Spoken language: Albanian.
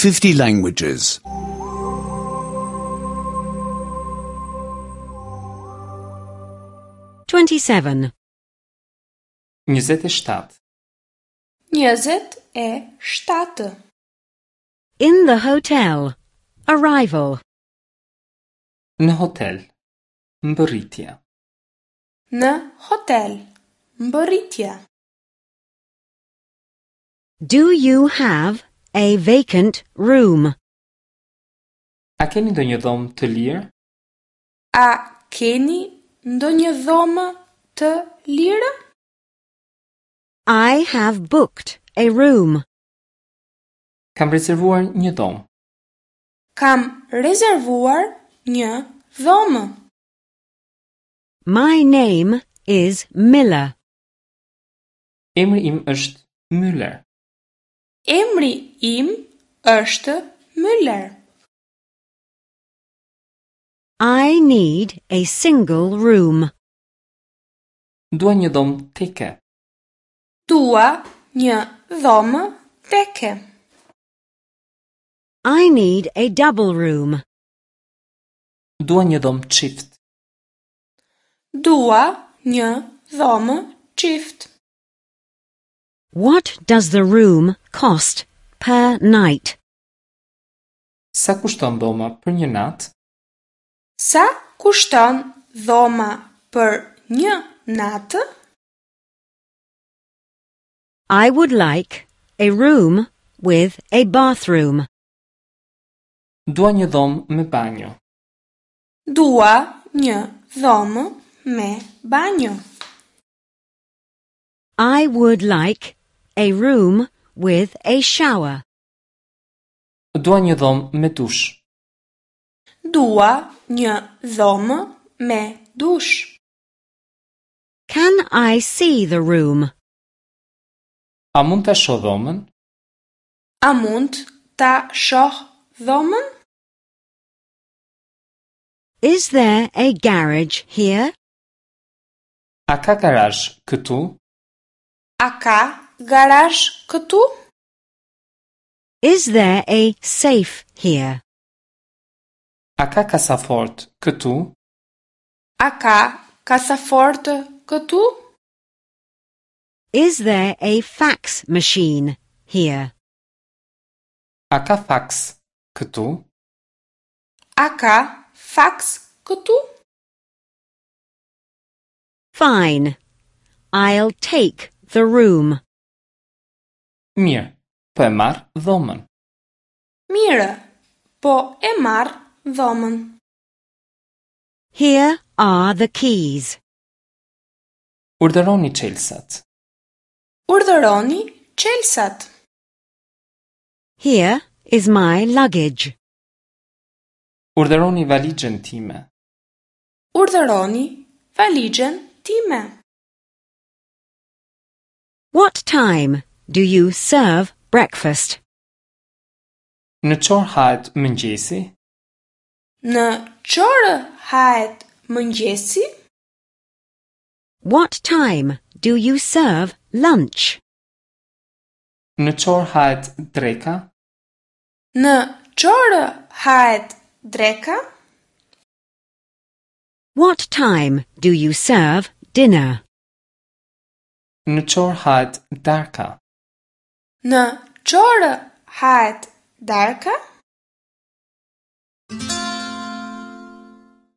50 languages. 27. 27. 27. In the hotel. Arrival. Në hotel. Mbërritje. Në hotel. Mbërritje. Do you have a vacant room? A keni ndonjë dhomë të lirë? A keni ndonjë dhomë të lirë? I have booked a room. Kam rezervuar një dhomë. Kam rezervuar një dhomë. My name is Miller. Emri im është Müller. Emri im është Müller. I need a single room. Dua një dhomë teke. Dua një dhomë teke. I need a double room. Dua një dhomë çift. Dua një dhomë çift. What does the room cost per night? Sa kushton dhoma për një natë? Sa kushton dhoma për një natë? I would like a room with a bathroom. Dua një dhomë me banjo. Dua një dhomë me banjo. I would like a room with a shower. Dua një dhomë me dush. Dua një dhomë me dush. Can I see the room? A mund ta shoh dhomën? A mund ta shoh dhomën? Is there a garage here? A ka garazh këtu? A ka garazh këtu? Is there a safe here? A ka kasafort këtu? A ka kasafort këtu? Is there a fax machine here? A ka faks këtu? A ka faks këtu? Fine. I'll take the room. Mirë, po e marr dhomën. Mirë, po e marr dhomën. Here are the keys. Urdhëroni çelësat. Urdhëroni çelësat. Here is my luggage. Urdhëroni valixhen time. Urdhëroni valixhen time. What time do you serve breakfast? Në ç'orë hahet mëngjesi? Në ç'orë hahet mëngjesi? What time do you serve lunch? Në ç'orë hahet dreka? Në ç'orë hahet dreka? What time do you serve dinner? Në ç'orë hahet darka? Në ç'orë hahet darka?